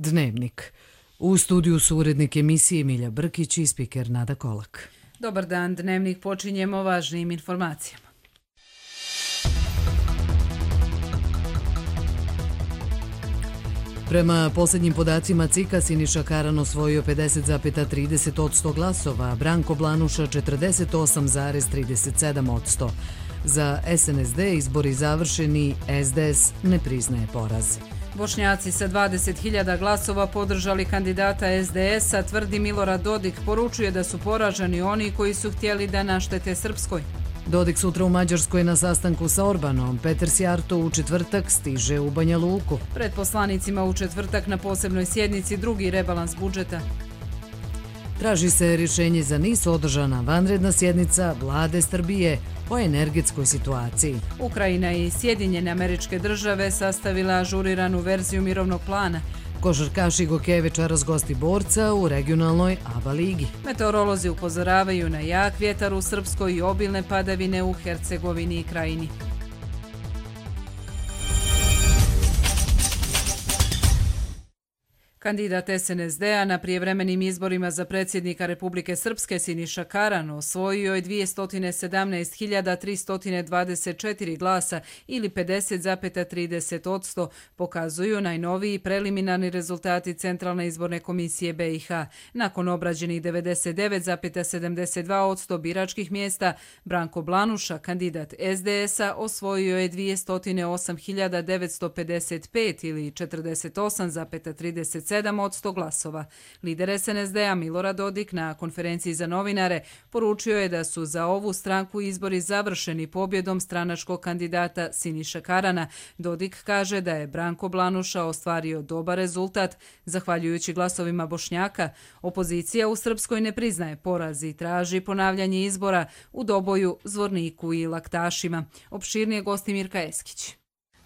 Dnevnik. U studiju su urednik emisije Milja Brkić i spiker Nada Kolak. Dobar dan, Dnevnik počinjemo važnijim informacijama. Prema posljednjim podacima CIK-a Siniša Karan osvojio 50,30% glasova, a Branko Blanuša 48,37%. Za SNSD izbori završeni, SDS ne priznaje poraz. Bošnjaci sa 20.000 glasova podržali kandidata SDS-a, tvrdi Milorad Dodik, poručuje da su poraženi oni koji su htjeli da naštete Srpskoj. Dodik sutra u Mađarskoj na sastanku sa Orbanom, Peter Sjarto u četvrtak stiže u Banja Luku. Pred poslanicima u četvrtak na posebnoj sjednici drugi rebalans budžeta. Traži se rješenje za NIS, održana vanredna sjednica vlade Srbije o energetskoj situaciji. Ukrajina i Sjedinjene Američke Države sastavila ažuriranu verziju mirovnog plana. Košarkaš Igo večeras gosti borca u regionalnoj ABA ligi. Meteorolozi upozoravaju na jak vjetar u Srpskoj i obilne padavine u Hercegovini i Krajini. Kandidat SNSD-a na prijevremenim izborima za predsjednika Republike Srpske Siniša Karan osvojio je 217.324 glasa ili 50,30%, pokazuju najnoviji preliminarni rezultati Centralne izborne komisije BiH. Nakon obrađenih 99,72% biračkih mjesta, Branko Blanuša, kandidat SDS-a, osvojio je 208.955 ili 48,37% glasova. Lider SNSD-a Milorad Dodik na konferenciji za novinare poručio je da su za ovu stranku izbori završeni pobjedom stranačkog kandidata Siniša Karana. Dodik kaže da je Branko Blanuša ostvario dobar rezultat zahvaljujući glasovima Bošnjaka. Opozicija u Srpskoj ne priznaje poraz i traži ponavljanje izbora u Doboju, Zvorniku i Laktašima. Opširnije gosti Mirka Eskić.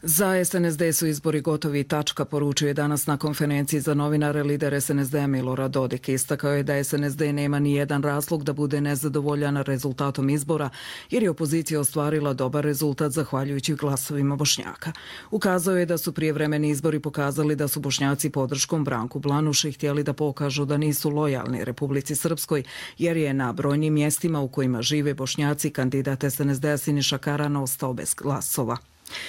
Za SNSD su izbori gotovi, tačka, poručuje danas na konferenciji za novinare lider SNSD-a Milorad Dodik. Istakao je da SNSD nema ni jedan razlog da bude nezadovoljan rezultatom izbora, jer je opozicija ostvarila dobar rezultat zahvaljujući glasovima Bošnjaka. Ukazao je da su prijevremeni izbori pokazali da su Bošnjaci podrškom Branku Blanuši htjeli da pokažu da nisu lojalni Republici Srpskoj, jer je na brojnim mjestima u kojima žive Bošnjaci kandidat SNSD-a Siniša Karan ostao bez glasova.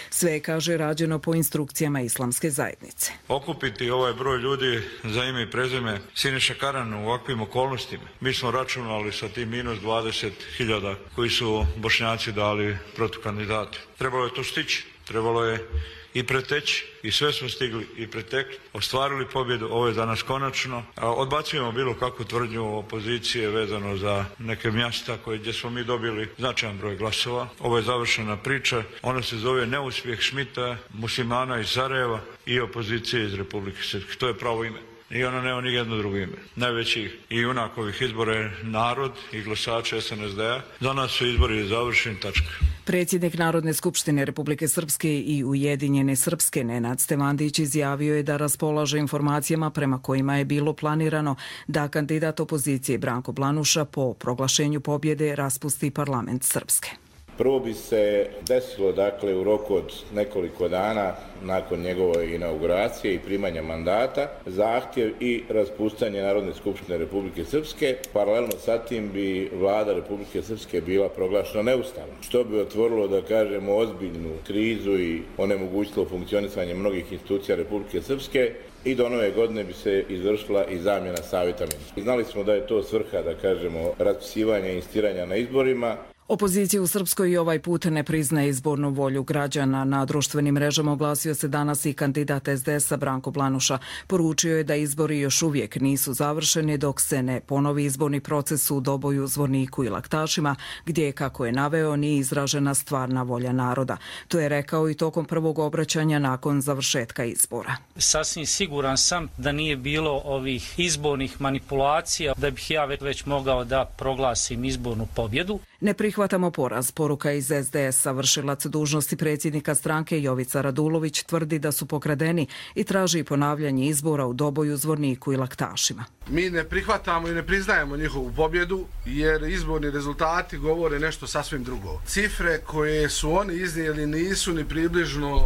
Sve je, kaže, rađeno po instrukcijama islamske zajednice. Okupiti ovaj broj ljudi za ime i prezime Siniša Karan u ovakvim okolnostima. Mi smo računali sa tim minus 20.000 koji su Bošnjaci dali protukandidati. Trebalo je to stići, trebalo je i preteći i sve smo stigli i pretekli. Ostvarili pobjedu, ovo je za nas konačno. Odbacujemo bilo kakvu tvrdnju opozicije vezano za neke mjesta gdje smo mi dobili značajan broj glasova. Ovo je završena priča. Ona se zove neuspjeh Šmita, muslimana iz Sarajeva i opozicije iz Republike Srpske. To je pravo ime. I ona nema ni jedno drugo ime. Najveći i junak ovih izbora je narod i glasači SNSD-a. Za nas su izbori završeni, tačka. Predsjednik Narodne skupštine Republike Srpske i Ujedinjene Srpske Nenad Stevandić izjavio je da raspolaže informacijama prema kojima je bilo planirano da kandidat opozicije Branko Blanuša po proglašenju pobjede raspusti parlament Srpske. Prvo bi se desilo, u roku od nekoliko dana nakon njegove inauguracije i primanja mandata, zahtjev i raspuštanje Narodne skupštine Republike Srpske. Paralelno sa tim bi vlada Republike Srpske bila proglašena neustavnom, što bi otvorilo, ozbiljnu krizu i onemogućilo funkcionisanje mnogih institucija Republike Srpske. I do nove godine bi se izvršila i zamjena savjeta ministara. Znali smo da je to svrha, raspisivanja i insistiranja na izborima. Opozicija u Srpskoj i ovaj put ne priznaje izbornu volju građana. Na društvenim mrežama oglasio se danas i kandidat SDS-a Branko Blanuša. Poručio je da izbori još uvijek nisu završeni dok se ne ponovi izborni proces u Doboju, Zvorniku i Laktašima, gdje, kako je naveo, nije izražena stvarna volja naroda. To je rekao i tokom prvog obraćanja nakon završetka izbora. Sasvim siguran sam da nije bilo ovih izbornih manipulacija, da bih ja već mogao da proglasim izbornu pobjedu. Ne prihvatamo poraz, poruka iz SDS-a. Vršilac dužnosti predsjednika stranke Jovica Radulović tvrdi da su pokradeni i traži ponavljanje izbora u Doboju, Zvorniku i Laktašima. Mi ne prihvatamo i ne priznajemo njihovu pobjedu jer izborni rezultati govore nešto sasvim drugo. Cifre koje su oni iznijeli nisu ni približno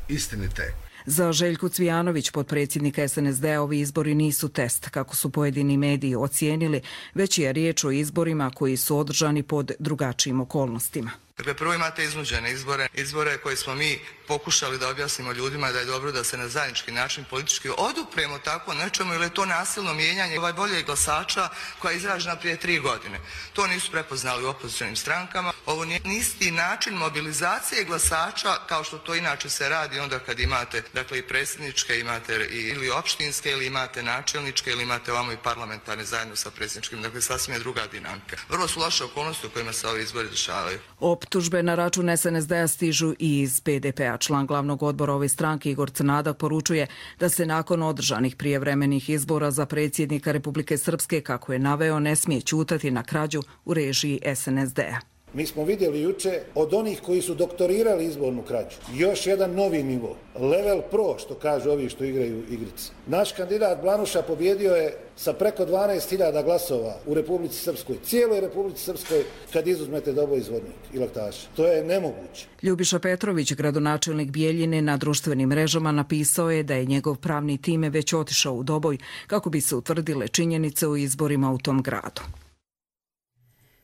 istinite. Za Željku Cvijanović, potpredsjednika SNSD-a, ovi izbori nisu test, kako su pojedini mediji ocijenili, već je riječ o izborima koji su održani pod drugačijim okolnostima. Dakle, prvo imate iznuđene izbore koje smo mi pokušali da objasnimo ljudima da je dobro da se na zajednički način politički odupremo tako nečemu, ili je to nasilno mijenjanje volje glasača koja je izražena prije 3 godine. To nisu prepoznali u opozicionim strankama. Ovo nije isti način mobilizacije glasača kao što to inače se radi onda kad imate, dakle, i predsjedničke, imate ili opštinske, ili imate načelničke, ili imate ovamo i parlamentarne zajedno sa predsjedničkim. Dakle, sasvim je druga dinamika. Vrlo su loše okolnosti u kojima se ovi izbori dešavaju. Optužbe na račun SNSD-a stižu i iz PDP-a. Član glavnog odbora ove stranke Igor Crnadak poručuje da se nakon održanih prijevremenih izbora za predsjednika Republike Srpske, kako je naveo, ne smije ćutati na krađu u režiji SNSD-a. Mi smo vidjeli juče od onih koji su doktorirali izbornu krađu još jedan novi nivo, level pro, što kažu ovi što igraju igrice. Naš kandidat Blanuša pobjedio je sa preko 12.000 glasova u Republici Srpskoj, cijeloj Republici Srpskoj, kad izuzmete Doboj izvornik i Laktaša. To je nemoguće. Ljubiša Petrović, gradonačelnik Bijeljine, na društvenim mrežama napisao je da je njegov pravni time već otišao u Doboj kako bi se utvrdile činjenice o izborima u tom gradu.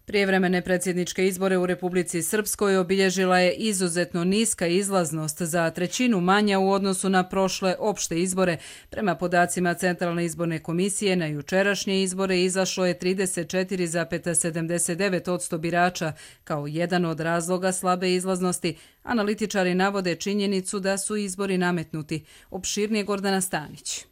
Prijevremene predsjedničke izbore u Republici Srpskoj obilježila je izuzetno niska izlaznost, za trećinu manja u odnosu na prošle opšte izbore. Prema podacima Centralne izborne komisije, na jučerašnje izbore izašlo je 34,79% birača. Kao jedan od razloga slabe izlaznosti, analitičari navode činjenicu da su izbori nametnuti. Opširnije Gordana Stanić.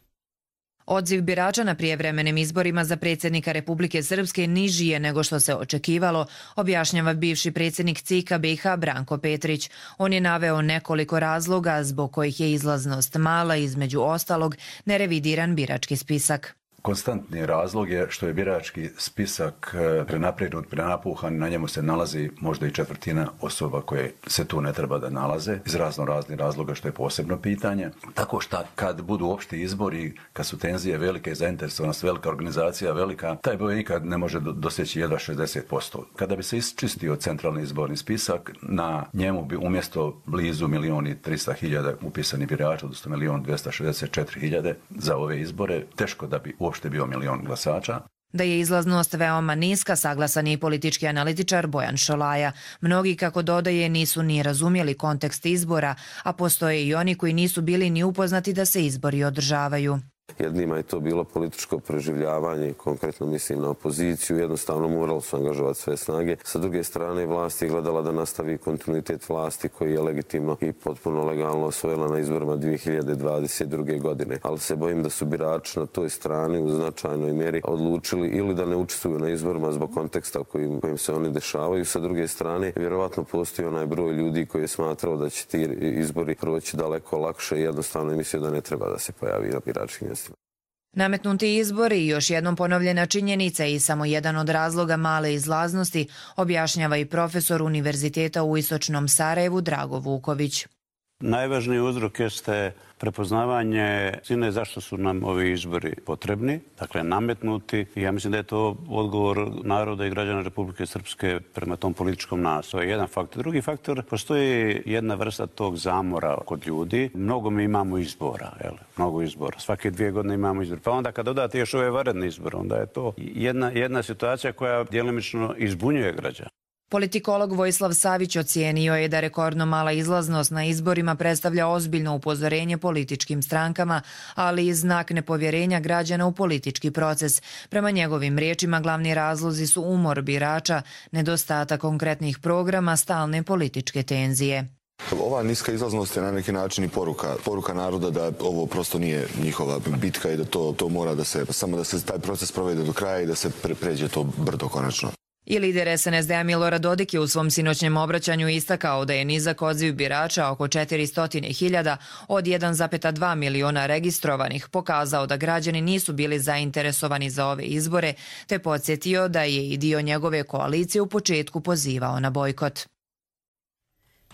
Odziv birača na prijevremenim izborima za predsjednika Republike Srpske niži je nego što se očekivalo, objašnjava bivši predsjednik CIK-a BiH Branko Petrić. On je naveo nekoliko razloga zbog kojih je izlaznost mala, između ostalog nerevidiran birački spisak. Konstantni razlog je što je birački spisak prenapregnut, prenapuhan, na njemu se nalazi možda i četvrtina osoba koje se tu ne treba da nalaze, iz raznih razloga, što je posebno pitanje. Tako što kad budu opšti izbori, kad su tenzije velike, zainteresovanost velika, organizacija velika, taj broj nikad ne može doseći jedva 60%. Kada bi se isčistio centralni izborni spisak, na njemu bi umjesto blizu 1.300.000 upisanih birača, odnosno 1.264.000 za ove izbore, teško da bi uopšte bio 1 milion glasača. Da je izlaznost veoma niska, saglasan je i politički analitičar Bojan Šolaja. Mnogi, kako dodaje, nisu ni razumjeli kontekst izbora, a postoje i oni koji nisu bili ni upoznati da se izbori održavaju. Jednima je to bilo političko preživljavanje, konkretno mislim na opoziciju, jednostavno morali su angažovati sve snage. Sa druge strane, vlast je gledala da nastavi kontinuitet vlasti koji je legitimno i potpuno legalno osvojila na izborima 2022. godine. Ali se bojim da su birači na toj strani u značajnoj mjeri odlučili ili da ne učestvuju na izborima zbog konteksta u kojim se oni dešavaju. Sa druge strane, vjerovatno postoji onaj broj ljudi koji je smatrao da će ti izbori proći daleko lakše i jednostavno je mislio da ne treba da se pojavi na biračkim mjestima. Nametnuti izbori i još jednom ponovljena činjenica i samo jedan od razloga male izlaznosti, objašnjava i profesor Univerziteta u Istočnom Sarajevu Drago Vuković. Najvažniji uzrok jeste prepoznavanje istine zašto su nam ovi izbori potrebni, dakle nametnuti. I ja mislim da je to odgovor naroda i građana Republike Srpske prema tom političkom nasilju. To je jedan faktor. Drugi faktor, postoji jedna vrsta tog zamora kod ljudi. Mnogo mi imamo izbora, mnogo izbora. Svake 2 godine imamo izbor. Pa onda kad dodate još ove vanredne izbore, onda je to jedna situacija koja djelomično izbunjuje građana. Politikolog Vojislav Savić ocijenio je da rekordno mala izlaznost na izborima predstavlja ozbiljno upozorenje političkim strankama, ali i znak nepovjerenja građana u politički proces. Prema njegovim riječima, glavni razlozi su umor birača, nedostatak konkretnih programa, stalne političke tenzije. Ova niska izlaznost je na neki način i poruka naroda da ovo prosto nije njihova bitka i da to mora da se, samo da se taj proces provede do kraja i da se pređe to brdo konačno. I lider SNSD-a Milorad Dodik je u svom sinoćnjem obraćanju istakao da je nizak odziv birača oko 400.000 od 1,2 miliona registrovanih pokazao da građani nisu bili zainteresovani za ove izbore, te podsjetio da je i dio njegove koalicije u početku pozivao na bojkot.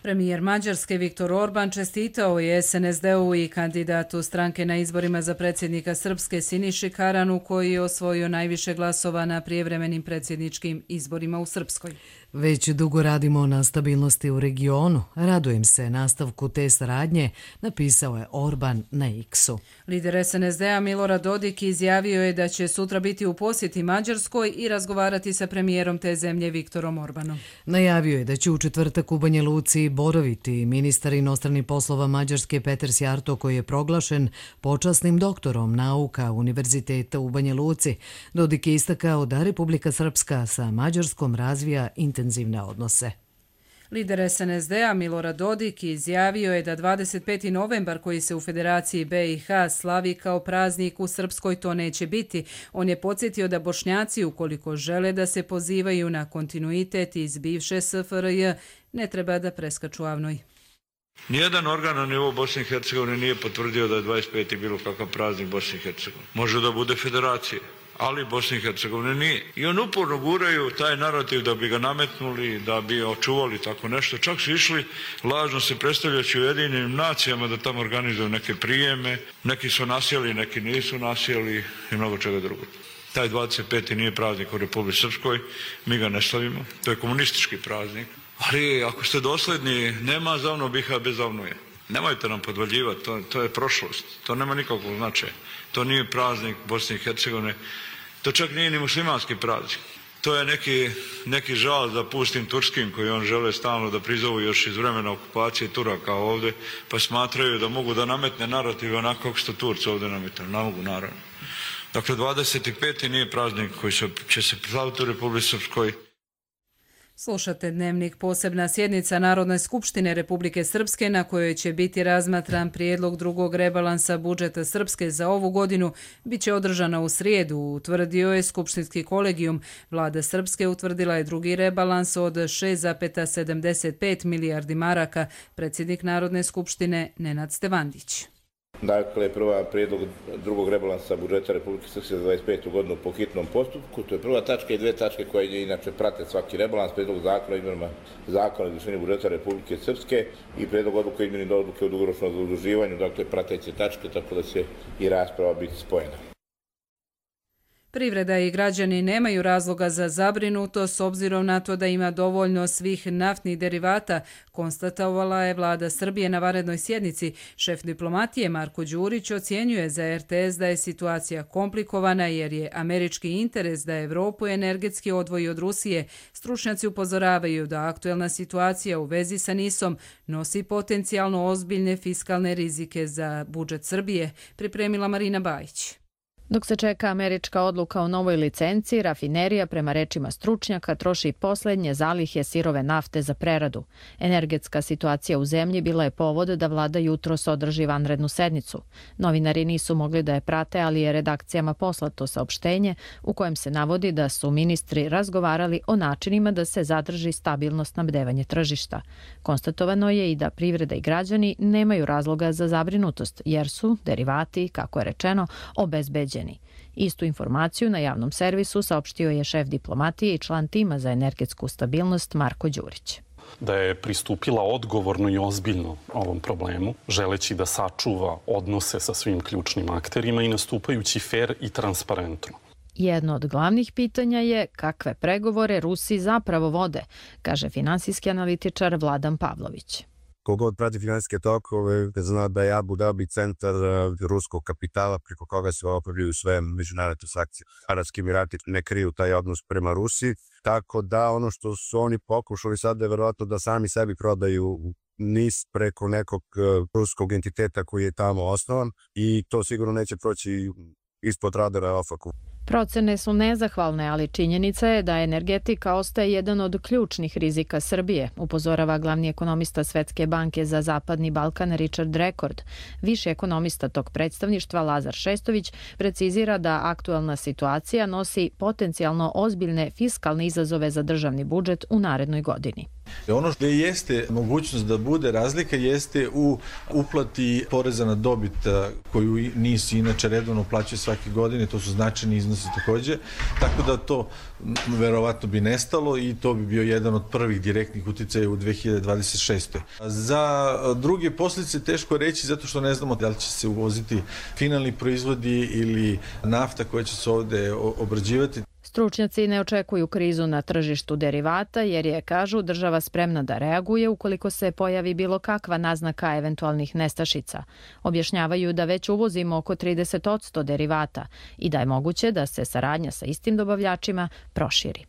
Premijer Mađarske Viktor Orban čestitao je SNSD-u i kandidatu stranke na izborima za predsjednika Srpske Siniši Karanu, koji je osvojio najviše glasova na prijevremenim predsjedničkim izborima u Srpskoj. Već dugo radimo na stabilnosti u regionu. Radujem se nastavku te saradnje, napisao je Orban na X-u. Lider SNSD-a Milorad Dodik izjavio je da će sutra biti u posjeti Mađarskoj i razgovarati sa premijerom te zemlje Viktorom Orbanom. Najavio je da će u četvrtak u Banja Luci boraviti ministar inostranih poslova Mađarske Peter Sjarto, koji je proglašen počasnim doktorom nauka Univerziteta u Banja Luci. Dodik je istakao da Republika Srpska sa Mađarskom razvija intenzivne odnose. Lider SNSD-a Milorad Dodik izjavio je da 25. novembar, koji se u Federaciji BiH slavi kao praznik, u Srpskoj to neće biti. On je podsjetio da Bošnjaci, ukoliko žele da se pozivaju na kontinuitet iz bivše SFRJ, ne treba da preskaču Avnoj. Nijedan organ na nivou Bosne i Hercegovine nije potvrdio da je 25. bilo kakav praznik Bosne i Hercegovine. Može da bude federacije, ali Bosne i Hercegovine nije. I on uporno guraju taj narativ da bi ga nametnuli, da bi očuvali tako nešto. Čak su išli lažno se predstavljajući Ujedinjenim nacijama da tamo organizuju neke prijeme. Neki su nasjeli, neki nisu nasjeli i mnogo čega drugo. Taj 25. nije praznik u Republici Srpskoj, mi ga ne slavimo. To je komunistički praznik. Ali ako ste dosledni, nema zavno biha bez zavnuje. Nemojte nam podvaljivati, to je prošlost. To nema nikakvog značaja. To nije praznik Bosne i Hercegovine. To čak nije ni muslimanski praznik. To je neki žal za pustim turskim koji on žele stalno da prizovu još iz vremena okupacije Turaka ovdje, pa smatraju da mogu da nametne narative onako kako su Turci ovdje nametali. Ne mogu, naravno. Dakle, 25. nije praznik koji će se slaviti u Republici Srpskoj. Slušate Dnevnik. Posebna sjednica Narodne skupštine Republike Srpske, na kojoj će biti razmatran prijedlog drugog rebalansa budžeta Srpske za ovu godinu, bit će održana u srijedu, utvrdio je Skupštinski kolegijum. Vlada Srpske utvrdila je drugi rebalans od 6,75 milijardi maraka. Predsjednik Narodne skupštine Nenad Stevandić. Dakle, prva prijedlog drugog rebalansa budžeta Republike Srpske za 25. godinu po hitnom postupku. To je prva tačka i dve tačke koje inače prate svaki rebalans, prijedlog zakona o izmjenama zakona o izvršenju budžeta Republike Srpske i prijedlog odluke o izmjeni odluke o dugoročnom zaduživanju, dakle prateće tačke, tako da će i rasprava biti spojena. Privreda i građani nemaju razloga za zabrinutost s obzirom na to da ima dovoljno svih naftnih derivata, konstatovala je Vlada Srbije na vanrednoj sjednici. Šef diplomatije Marko Đurić ocjenjuje za RTS da je situacija komplikovana jer je američki interes da Evropu energetski odvoji od Rusije. Stručnjaci upozoravaju da aktuelna situacija u vezi sa NIS-om nosi potencijalno ozbiljne fiskalne rizike za budžet Srbije, pripremila Marina Bajić. Dok se čeka američka odluka o novoj licenciji, rafinerija, prema rečima stručnjaka, troši posljednje zalihe sirove nafte za preradu. Energetska situacija u zemlji bila je povod da vlada jutros održi vanrednu sednicu. Novinari nisu mogli da je prate, ali je redakcijama poslato saopštenje u kojem se navodi da su ministri razgovarali o načinima da se zadrži stabilno snabdevanje tržišta. Konstatovano je i da privreda i građani nemaju razloga za zabrinutost, jer su derivati, kako je rečeno, obezbeđeni. Istu informaciju na javnom servisu saopštio je šef diplomatije i član tima za energetsku stabilnost Marko Đurić. Da je pristupila odgovorno i ozbiljno ovom problemu, želeći da sačuva odnose sa svim ključnim akterima i nastupajući fer i transparentno. Jedno od glavnih pitanja je kakve pregovore Rusi zapravo vode, kaže finansijski analitičar Vladan Pavlović. Kogod prati finansijske tokove zna da je Abu Dhabi centar ruskog kapitala preko koga se obavljaju sve međunarodne transakcije. Arapski Emirati ne kriju taj odnos prema Rusiji, tako da ono što su oni pokušali sad je verovatno da sami sebi prodaju NIS preko nekog ruskog entiteta koji je tamo osnovan i to sigurno neće proći ispod radara OFAC-u. Procene su nezahvalne, ali činjenica je da energetika ostaje jedan od ključnih rizika Srbije, upozorava glavni ekonomista Svetske banke za Zapadni Balkan Richard Rekord. Viši ekonomista tog predstavništva Lazar Šestović precizira da aktuelna situacija nosi potencijalno ozbiljne fiskalne izazove za državni budžet u narednoj godini. Ono što jeste mogućnost da bude razlika jeste u uplati poreza na dobit koju NIS inače redovno plaćaju svake godine, to su značajni iznosi takođe, tako da to verovatno bi nestalo i to bi bio jedan od prvih direktnih uticaja u 2026. Za druge posljedice teško reći zato što ne znamo da li će se uvoziti finalni proizvodi ili nafta koja će se ovde obrađivati. Stručnjaci ne očekuju krizu na tržištu derivata jer je, kažu, država spremna da reaguje ukoliko se pojavi bilo kakva naznaka eventualnih nestašica. Objašnjavaju da već uvozimo oko 30% derivata i da je moguće da se saradnja sa istim dobavljačima proširi.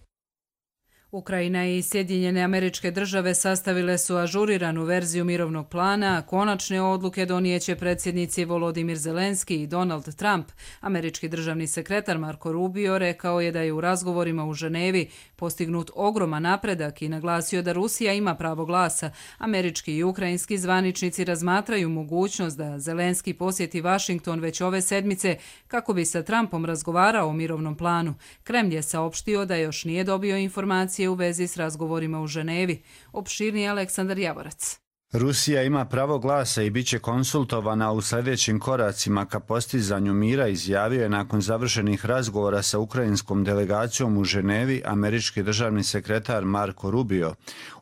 Ukrajina i Sjedinjene Američke Države sastavile su ažuriranu verziju mirovnog plana, a konačne odluke donijeće predsjednici Volodimir Zelenski i Donald Trump. Američki državni sekretar Marko Rubio rekao je da je u razgovorima u Ženevi postignut ogroman napredak i naglasio da Rusija ima pravo glasa. Američki i ukrajinski zvaničnici razmatraju mogućnost da Zelenski posjeti Vašington već ove sedmice kako bi sa Trumpom razgovarao o mirovnom planu. Kremlj je saopštio da još nije dobio informacije u vezi s razgovorima u Ženevi. Opširniji Aleksandar Javorac. Rusija ima pravo glasa i bit će konsultovana u sljedećim koracima ka postizanju mira, izjavio je nakon završenih razgovora sa ukrajinskom delegacijom u Ženevi američki državni sekretar Marko Rubio.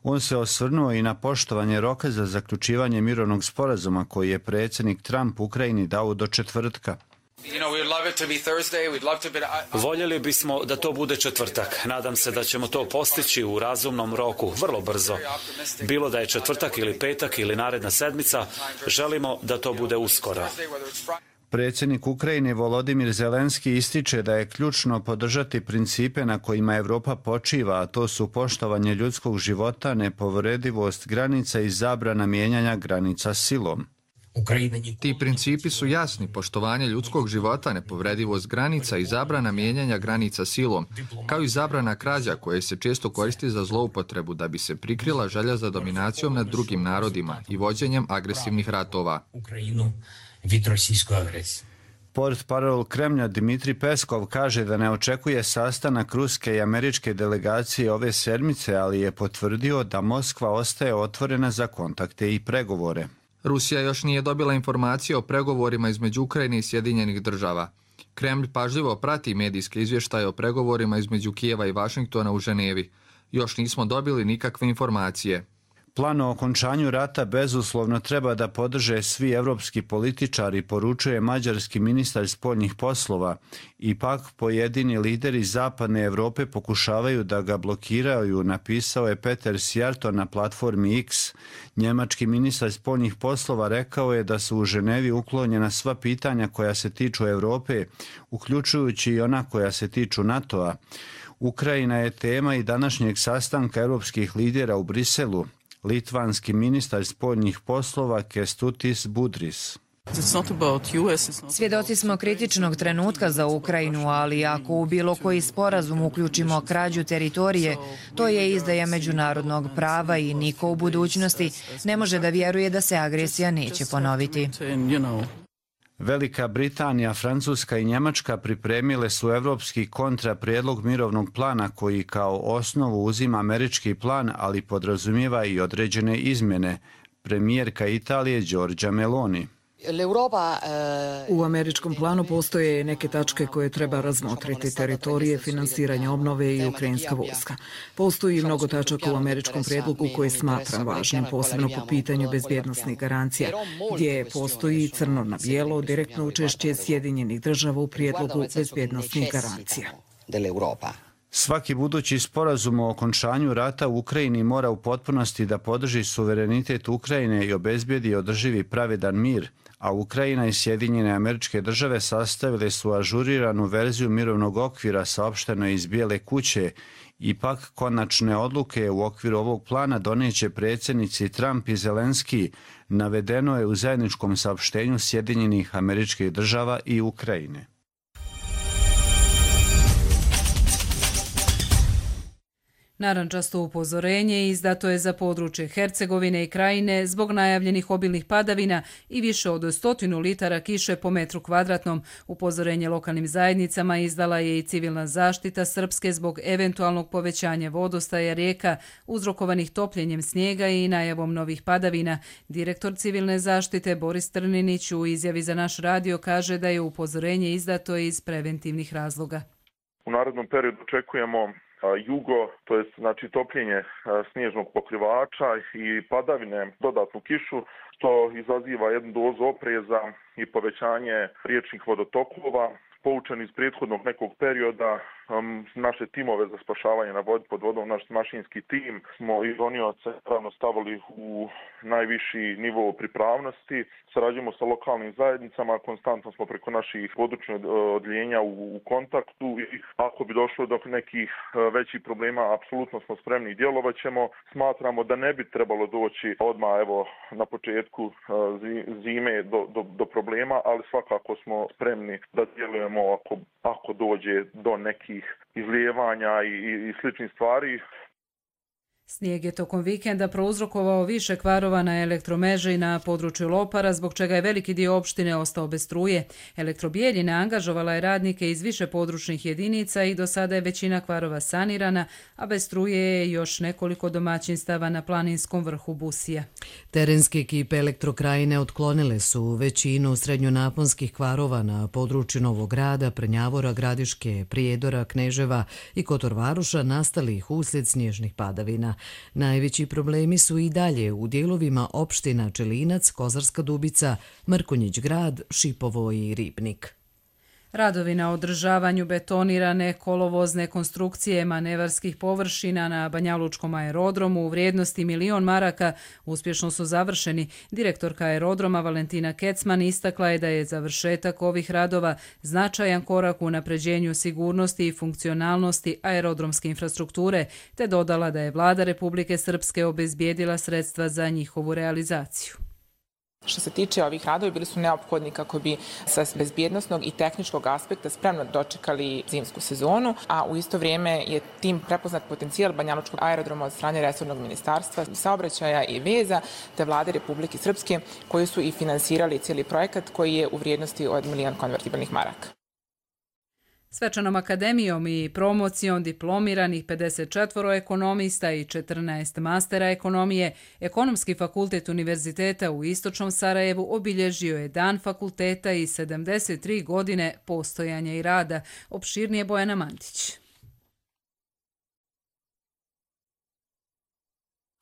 On se osvrnuo i na poštovanje roka za zaključivanje mirovnog sporazuma koji je predsjednik Trump Ukrajini dao do četvrtka. Voljeli bismo da to bude četvrtak. Nadam se da ćemo to postići u razumnom roku, vrlo brzo. Bilo da je četvrtak ili petak ili naredna sedmica, želimo da to bude uskoro. Predsjednik Ukrajine Volodimir Zelenski ističe da je ključno podržati principe na kojima Evropa počiva, a to su poštovanje ljudskog života, nepovredivost granica i zabrana mijenjanja granica silom. Ti principi su jasni: poštovanje ljudskog života, nepovredivost granica i zabrana mijenjanja granica silom, kao i zabrana krađa koje se često koristi za zloupotrebu da bi se prikrila želja za dominacijom nad drugim narodima i vođenjem agresivnih ratova. Portparol Kremlja Dmitri Peskov kaže da ne očekuje sastanak ruske i američke delegacije ove sedmice, ali je potvrdio da Moskva ostaje otvorena za kontakte i pregovore. Rusija još nije dobila informacije o pregovorima između Ukrajine i Sjedinjenih Država. Kremlj pažljivo prati medijske izvještaje o pregovorima između Kijeva i Vašingtona u Ženevi. Još nismo dobili nikakve informacije. Plan o okončanju rata bezuslovno treba da podrže svi evropski političari, poručuje mađarski ministar spoljnih poslova. Ipak pojedini lideri zapadne Evrope pokušavaju da ga blokiraju, napisao je Peter Sjarto na platformi X. Njemački ministar spoljnih poslova rekao je da su u Ženevi uklonjena sva pitanja koja se tiču Evrope, uključujući i ona koja se tiču NATO-a. Ukrajina je tema i današnjeg sastanka evropskih lidera u Briselu. Litvanski ministar spoljnih poslova Kestutis Budris. Svjedoci smo kritičnog trenutka za Ukrajinu, ali ako u bilo koji sporazum uključimo krađu teritorije, to je izdaja međunarodnog prava i niko u budućnosti ne može da vjeruje da se agresija neće ponoviti. Velika Britanija, Francuska i Njemačka pripremile su evropski kontraprijedlog mirovnog plana koji kao osnovu uzima američki plan, ali podrazumijeva i određene izmjene. Premijerka Italije Giorgia Meloni. U američkom planu postoje neke tačke koje treba razmotriti: teritorije, finansiranje obnove i ukrajinska vojska. Postoji mnogo tačaka u američkom prijedlogu koje smatram važnim, posebno po pitanju bezbjednosnih garancija, gdje postoji crno na bijelo direktno učešće Sjedinjenih Država u prijedlogu bezbjednosnih garancija. Svaki budući sporazum o okončanju rata u Ukrajini mora u potpunosti da podrži suverenitet Ukrajine i obezbijedi održivi pravedan mir, a Ukrajina i Sjedinjene Američke Države sastavile su ažuriranu verziju mirovnog okvira, saopšteno je iz Bijele kuće. Ipak, konačne odluke u okviru ovog plana doneće predsjednici Trump i Zelenski, navedeno je u zajedničkom saopštenju Sjedinjenih Američkih Država i Narandžasto upozorenje izdato je za područje Hercegovine i Krajine zbog najavljenih obilnih padavina i više od 100 litara kiše po metru kvadratnom. Upozorenje lokalnim zajednicama izdala je i civilna zaštita Srpske zbog eventualnog povećanja vodostaja rijeka uzrokovanih topljenjem snijega i najavom novih padavina. Direktor civilne zaštite Boris Trninić u izjavi za naš radio kaže da je upozorenje izdato iz preventivnih razloga. U narednom periodu očekujemo jugo, to je znači topljenje snježnog pokrivača i padavine, dodatnu kišu, što izaziva jednu dozu opreza i povećanje riječnih vodotokova. Poučeni iz prethodnog nekog perioda, naše timove za spašavanje pod vodom, naš mašinski tim smo iz donioca pravno stavili u najviši nivo pripravnosti. Sarađujemo sa lokalnim zajednicama, konstantno smo preko naših područnih odjeljenja u kontaktu i ako bi došlo do nekih većih problema, apsolutno smo spremni i djelovat ćemo. Smatramo da ne bi trebalo doći odmah na početku zime do problema, ali svakako smo spremni da djelujemo ako dođe do nekih izlijevanja i sličnih stvari. Snijeg je tokom vikenda prouzrokovao više kvarova na elektromreži na području Lopara, zbog čega je veliki dio opštine ostao bez struje. Elektrobijeljina angažovala je radnike iz više područnih jedinica i do sada je većina kvarova sanirana, a bez struje je još nekoliko domaćinstava na planinskom vrhu Busija. Terenske ekipe Elektrokrajine otklonile su većinu srednjonaponskih kvarova na području Novog Grada, Prnjavora, Gradiške, Prijedora, Kneževa i Kotorvaruša nastalih uslijed snježnih padavina. Najveći problemi su i dalje u dijelovima opština Čelinac, Kozarska Dubica, Mrkonjić Grad, Šipovo i Ribnik. Radovi na održavanju betonirane kolovozne konstrukcije manevarskih površina na Banjalučkom aerodromu u vrijednosti 1 milion maraka uspješno su završeni. Direktorka aerodroma Valentina Kecman istakla je da je završetak ovih radova značajan korak u unapređenju sigurnosti i funkcionalnosti aerodromske infrastrukture, te dodala da je Vlada Republike Srpske obezbijedila sredstva za njihovu realizaciju. Što se tiče ovih radova, bili su neophodni kako bi sa bezbjednosnog i tehničkog aspekta spremno dočekali zimsku sezonu, a u isto vrijeme je tim prepoznat potencijal Banjalučkog aerodroma od strane resornog ministarstva saobraćaja i veza te Vlade Republike Srpske, koji su i finansirali cijeli projekat koji je u vrijednosti od 1 milion konvertibilnih maraka. Svečanom akademijom i promocijom diplomiranih 54 ekonomista i 14 mastera ekonomije, Ekonomski fakultet Univerziteta u Istočnom Sarajevu obilježio je Dan fakulteta i 73 godine postojanja i rada. Opširnije Bojana Mantić.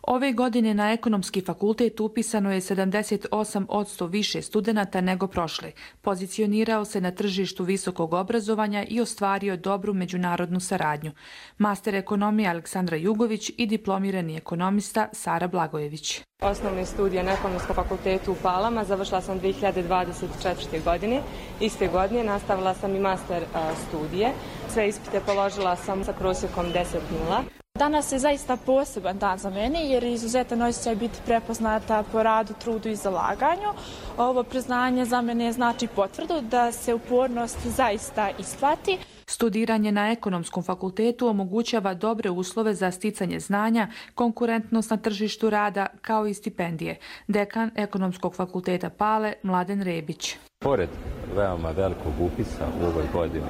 Ove godine na Ekonomski fakultet upisano je 78% više studenata nego prošle. Pozicionirao se na tržištu visokog obrazovanja i ostvario dobru međunarodnu saradnju. Master ekonomije Aleksandra Jugović i diplomirani ekonomista Sara Blagojević. Osnovne studije na Ekonomskom fakultetu u Palama završila sam 2024. godine. Iste godine nastavila sam i master studije. Sve ispite položila sam sa prosjekom 10.0. Danas je zaista poseban dan za mene jer je izuzetan osjećaj biti prepoznata po radu, trudu i zalaganju. Ovo priznanje za mene znači potvrdu da se upornost zaista isplati. Studiranje na Ekonomskom fakultetu omogućava dobre uslove za sticanje znanja, konkurentnost na tržištu rada kao i stipendije. Dekan Ekonomskog fakulteta Pale Mladen Rebić. Pored veoma velikog upisa u ovoj godini,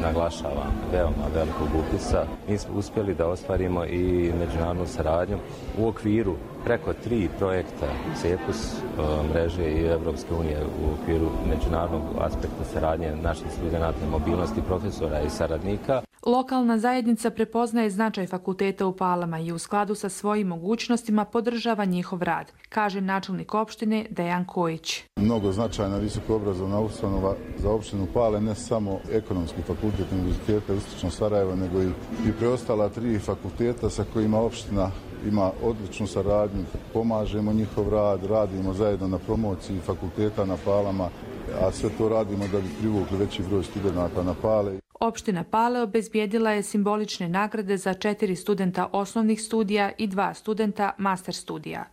naglašavam, veoma velikog upisa, mi smo uspjeli da ostvarimo i međunarodnu saradnju u okviru preko 3 projekta CEPUS mreže i Evropske unije u okviru međunarodnog aspekta saradnje naših studenata, mobilnosti profesora i saradnika. Lokalna zajednica prepoznaje značaj fakulteta u Palama i u skladu sa svojim mogućnostima podržava njihov rad, kaže načelnik opštine Dejan Kojić. Mnogo značajna visokoobrazovna ustanova za opštinu Pale, ne samo Ekonomski fakultet Univerziteta Istočnog Sarajeva, nego i preostala 3 fakulteta sa kojima opština ima odličnu saradnju. Pomažemo njihov rad, radimo zajedno na promociji fakulteta na Palama, a sve to radimo da bi privukli veći broj studenata na Pale. Opština Pale obezbijedila je simbolične nagrade za 4 studenta osnovnih studija i 2 studenta master studija.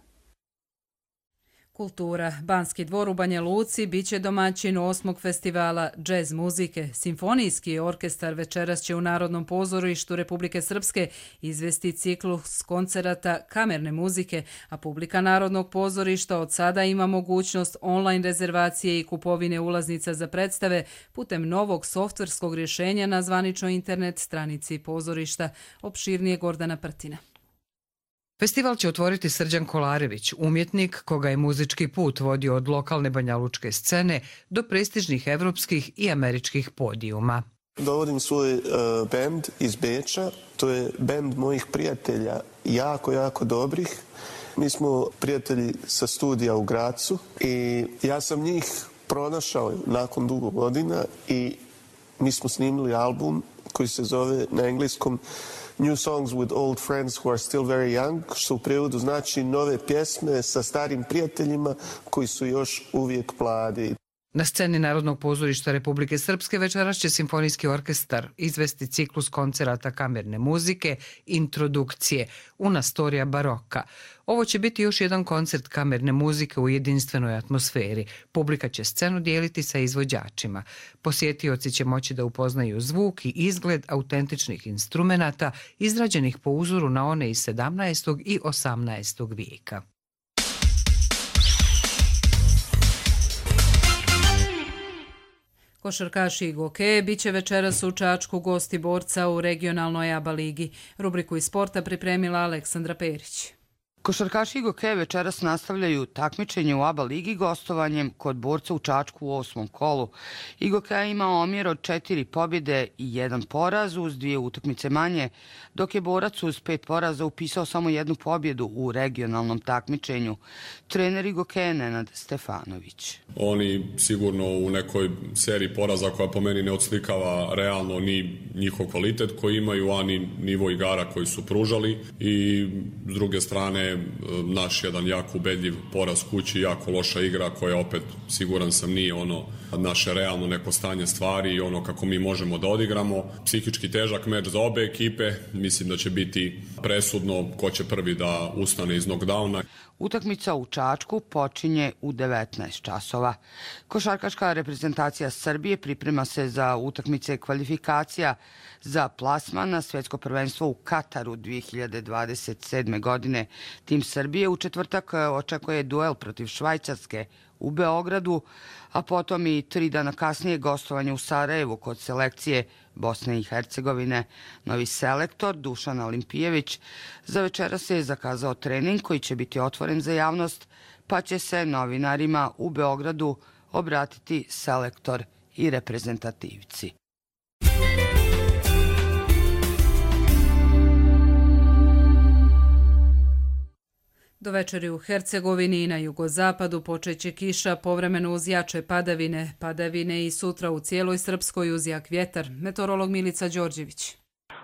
Kultura. Banski dvor u Banja Luci biće domaćin 8. festivala džez muzike. Simfonijski orkestar večeras će u Narodnom pozorištu Republike Srpske izvesti ciklus koncerata kamerne muzike, a publika Narodnog pozorišta od sada ima mogućnost online rezervacije i kupovine ulaznica za predstave putem novog softverskog rješenja na zvaničnoj internet stranici pozorišta. Opširnije Gordana Prtina. Festival će otvoriti Srđan Kolarević, umjetnik koga je muzički put vodio od lokalne banjalučke scene do prestižnih evropskih i američkih podijuma. Dovodim svoj bend iz Beča, to je bend mojih prijatelja, jako dobrih. Mi smo prijatelji sa studija u Gracu i ja sam njih pronašao nakon dugo godina i mi smo snimili album koji se zove na engleskom New Songs with Old Friends Who Are Still Very Young, što u prijevodu znači nove pjesme sa starim prijateljima koji su još uvijek mladi. Na sceni Narodnog pozorišta Republike Srpske večeras će Simfonijski orkestar izvesti ciklus koncerata kamerne muzike, introdukcije, Una storia baroka. Ovo će biti još jedan koncert kamerne muzike u jedinstvenoj atmosferi. Publika će scenu dijeliti sa izvođačima. Posjetioci će moći da upoznaju zvuk i izgled autentičnih instrumenata izrađenih po uzoru na one iz 17. i 18. vijeka. Košarkaši i gokeje biće večeras u Čačku gosti borca u regionalnoj ABA ligi. Rubriku iz sporta pripremila Aleksandra Perić. Košarkaši i gokeje večeras nastavljaju takmičenje u ABA ligi gostovanjem kod borca u Čačku u 8. kolu. Igokeja ima omjer od 4 pobjede i 1 poraz uz 2 utakmice manje, dok je borac uz 5 poraza upisao samo 1 pobjedu u regionalnom takmičenju. Trener Igokeje Nenad Stefanović. Oni sigurno u nekoj seriji poraza koja po meni ne odslikava realno ni njihov kvalitet koji imaju, a ni nivo igara koji su pružali i s druge strane naš jedan jako ubedljiv poraz kući, jako loša igra koja opet, siguran sam, nije ono naše realno neko stanje stvari i ono kako mi možemo da odigramo. Psihički težak meč za obe ekipe, mislim da će biti presudno ko će prvi da ustane iz knockdowna. Utakmica u Čačku počinje u 19 časova. Košarkaška reprezentacija Srbije priprema se za utakmice kvalifikacija za plasman na svjetsko prvenstvo u Kataru 2027. godine. Tim Srbije u četvrtak očekuje duel protiv Švajcarske u Beogradu, a potom i 3 dana kasnije gostovanje u Sarajevu kod selekcije Bosne i Hercegovine. Novi selektor Dušan Olimpijević za večeras se je zakazao trening koji će biti otvoren za javnost, pa će se novinarima u Beogradu obratiti selektor i reprezentativci. Do večeri u Hercegovini i na jugozapadu počeće kiša, povremeno uz jače padavine. Padavine i sutra u cijeloj Srpskoj uz jak vjetar. Meteorolog Milica Đorđević.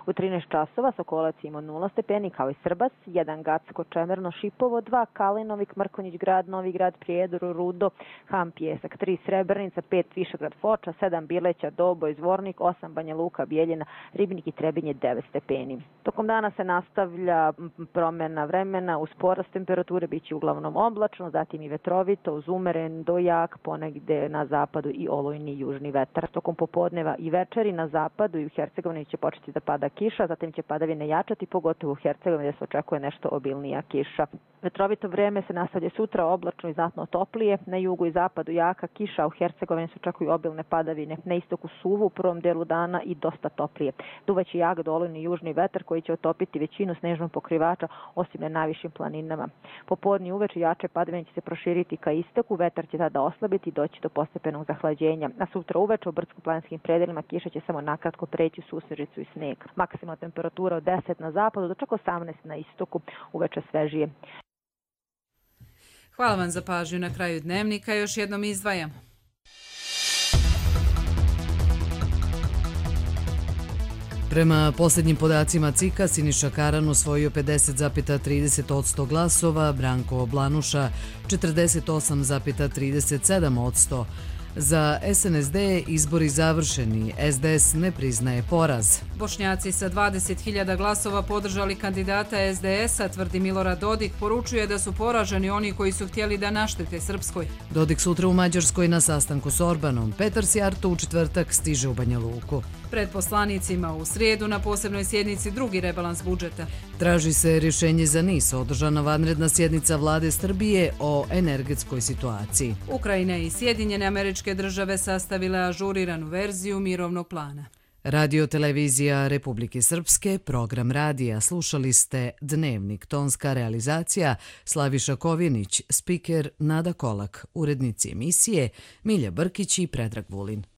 U 13 časova Sokolac ima 0 stepeni kao i Srbas, 1 Gacko, Čemerno, Šipovo, 2 Kalinovik, Mrkonjić grad, Novi grad, Prijedor, Rudo, Ham, Pjesak, 3 Srebrnica, 5 Višegrad, Foča, 7 Bileća, Doboj, Zvornik, 8 Banja Luka, Bijeljina, Ribnik i Trebinje 9 stepeni. Tokom dana se nastavlja promjena vremena, uz porast temperature biće uglavnom oblačno, zatim i vetrovito, uz umeren do jak, ponegde na zapadu i olujni južni vetar. Tokom popodneva i večeri na zapadu i u Hercegovini će početi da pada kiša, zatim će padavine jačati, pogotovo u Hercegovini gdje se očekuje nešto obilnija kiša. Vetrovito vrijeme se nastavlja sutra, oblačno i znatno toplije. Na jugu i zapadu jaka kiša, a u Hercegovini se očekuju obilne padavine. Na istoku suvu u prvom delu dana i dosta toplije. Duvaće jak dolini južni vetar koji će otopiti većinu snežnog pokrivača, osim na najvišim planinama. Popodne uveče jače padavine će se proširiti ka istoku, vetar će tada oslabiti i doći do postepenog zahlađenja. A sutra uveče u brdsko-planinskim predelima kiša će samo nakratko preći susrežicu i sneg. Maksimalna temperatura od 10 na zapadu do čak 18 na istoku, uveče svežije. Hvala vam za pažnju. Na kraju dnevnika još jednom izdvajamo. Prema posljednjim podacima CIK-a, Siniša Karan osvojio 50,30% glasova, Branko Blanuša 48,37%, Za SNSD izbori završeni, SDS ne priznaje poraz. Bošnjaci sa 20.000 glasova podržali kandidata SDS-a, tvrdi Milorad Dodik, poručuje da su poraženi oni koji su htjeli da naštete Srpskoj. Dodik sutra u Mađarskoj na sastanku s Orbanom. Petar Sjarto u četvrtak stiže u Banja Luku. Pred poslanicima u srijedu na posebnoj sjednici drugi rebalans budžeta. Traži se rješenje za NIS, održana vanredna sjednica vlade Srbije o energetskoj situaciji. Ukrajina i Sjedinjene Američke Države sastavile ažuriranu verziju mirovnog plana. Radio televizija Republike Srpske, program radija. Slušali ste Dnevnik, tonska realizacija Slaviša Kovinić, spiker Nada Kolak, urednici emisije Milja Brkić i Predrag Vulin.